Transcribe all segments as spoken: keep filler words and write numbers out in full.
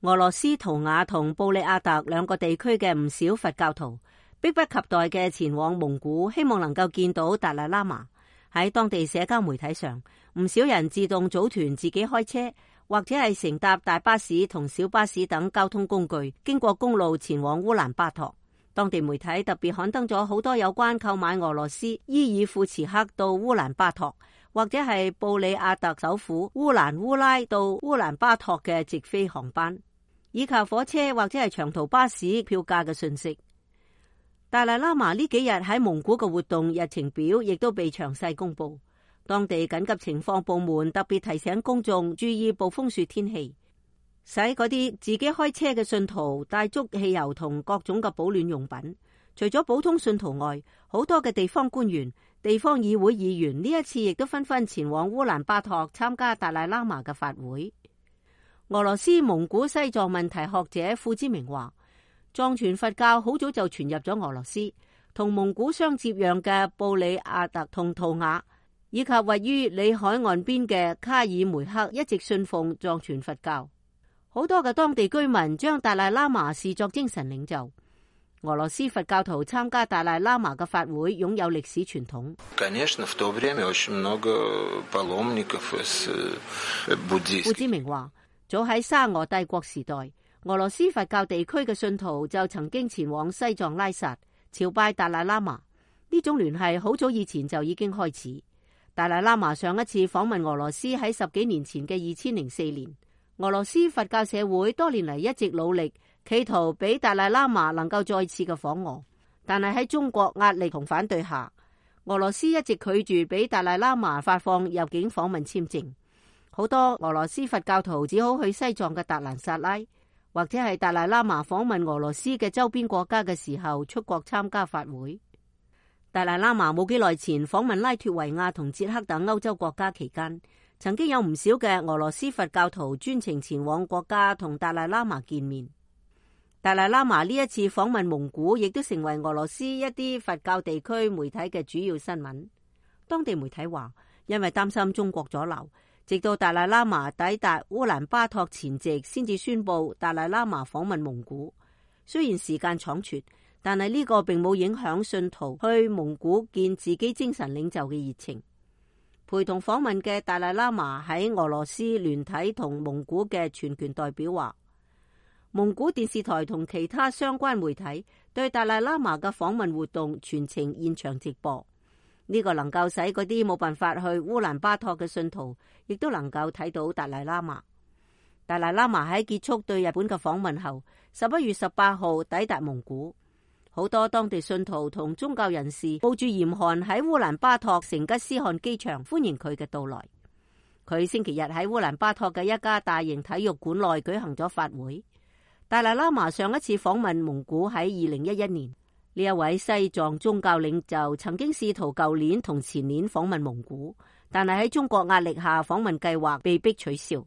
俄羅斯圖瓦同布里亞特兩個地區嘅唔少佛教徒迫不及待嘅前往蒙古，希望能夠見到達賴喇嘛。喺當地社交媒體上，唔少人自動組團自己開車，或者係乘搭大巴士同小巴士等交通工具，經過公路前往烏蘭巴托。當地媒體特別刊登咗好多有關購買俄羅斯伊爾庫茨克到烏蘭巴托，或者係布里亞特首府烏蘭烏拉到烏蘭巴托嘅直飛航班，以及火車或者係長途巴士票價嘅信息。達賴喇嘛呢幾日喺蒙古嘅活動日程表亦都被詳細公布。當地緊急情況部門特別提醒公眾注意暴風雪天氣，使嗰啲自己開車嘅信徒帶足汽油同各種嘅保暖用品。除咗普通信徒外，好多嘅地方官員、地方議會議員呢一次亦都紛紛前往烏蘭巴托參加達賴喇嘛嘅法會。俄羅斯蒙古西藏問題學者傅之明話，藏傳佛教好早就傳入咗俄羅斯，同蒙古相接壤嘅布里亞特同圖瓦，以及位於里海岸邊嘅卡爾梅克一直信奉藏傳佛教。好多嘅當地居民將達賴喇嘛視作精神領袖。俄羅斯佛教徒參加達賴喇嘛嘅法會擁有歷史傳統。傅之明話，早喺沙俄帝國時代，俄羅斯佛教地區嘅信徒就曾經前往西藏拉薩朝拜達賴喇嘛。呢種聯繫好早以前就已經開始。達賴喇嘛上一次訪問俄羅斯喺十幾年前嘅二千零四年。俄羅斯佛教社會多年嚟一直努力，企圖俾達賴喇嘛能夠再次嘅訪俄，但係喺中國壓力同反對下，俄羅斯一直拒絕俾達賴喇嘛發放入境訪問簽證。好多俄羅斯佛教徒只好去西藏嘅達蘭薩拉，或者係達賴喇嘛訪問俄羅斯嘅周邊國家嘅時候出國參加法會。達賴喇嘛冇幾耐前訪問拉脫維亞同捷克等歐洲國家期間，曾經有唔少嘅俄羅斯佛教徒專程前往國家同達賴喇嘛見面。達賴喇嘛呢一次訪問蒙古，亦都成為俄羅斯一啲佛教地區媒體嘅主要新聞。當地媒體話，因為擔心中國阻撓，直到達賴喇嘛抵達烏蘭巴托前夕，先至宣布達賴喇嘛訪問蒙古。雖然時間倉促，但係呢個並冇影響信徒去蒙古見自己精神領袖嘅熱情。陪同訪問嘅達賴喇嘛喺俄羅斯聯體同蒙古嘅全權代表話，蒙古電視台同其他相關媒體對達賴喇嘛嘅訪問活動全程現場直播。呢個能夠使嗰啲冇辦法去烏蘭巴托嘅信徒，亦都能夠睇到達賴喇嘛。達賴喇嘛喺結束對日本嘅訪問後，十一月十八號抵達蒙古。好多當地信徒同宗教人士冒住嚴寒喺烏蘭巴托成吉思汗機場歡迎佢嘅到來。佢星期日喺烏蘭巴托嘅一家大型體育館內舉行咗法會。達賴喇嘛上一次訪問蒙古喺二零一一年。呢一位西藏宗教領袖曾經試圖舊年同前年訪問蒙古，但係喺中國壓力下訪問計劃被迫取消。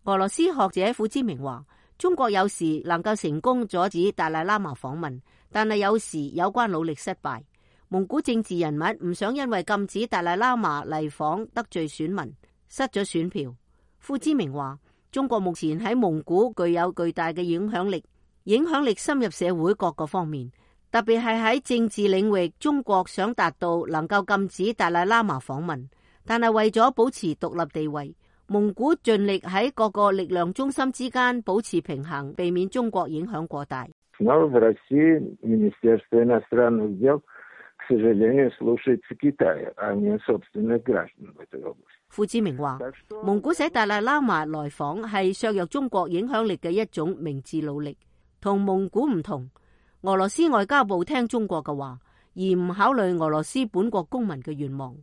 俄羅斯學者傅之明話，中國有時能夠成功阻止達賴喇嘛訪問，但係有時有關努力失敗。蒙古政治人物唔想因為禁止達賴喇嘛嚟訪得罪選民，失咗選票。傅之明話，中國目前喺蒙古具有巨大嘅影響力，影響力深入社會各個方面。特別係喺政治領域，中國想達到能夠禁止達賴喇嘛訪問，但係為咗保持獨立地位，蒙古盡力喺各個力量中心之間保持平衡，避免中國影響過大。傅之明話，蒙古使達賴喇嘛來訪係削弱中國影響力嘅一種明智努力，同蒙古唔同。俄羅斯外交部聽中國嘅話，而唔考慮俄羅斯本國公民嘅願望。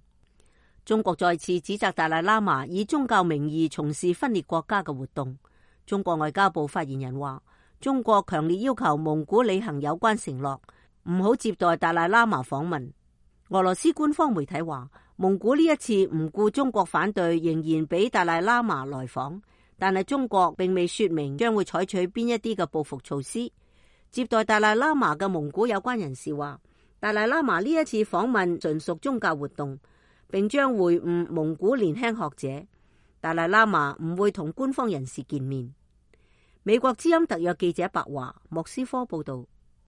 中國再次指責達賴喇嘛以宗教名義從事分裂國家嘅活動。中國外交部發言人話，中國強烈要求蒙古履行有關承諾，唔好接待達賴喇嘛訪問。俄羅斯官方媒體話，蒙古呢一次唔顧中國反對，仍然俾達賴喇嘛來訪，但係中國並未說明將會採取邊一啲嘅報復措施。接待達賴喇嘛嘅蒙古有關人士話，達賴喇嘛呢一次訪問純屬宗教活動，並將會晤蒙古年輕學者。達賴喇嘛唔會同官方人士見面。美國之音特約記者白華莫斯科報道。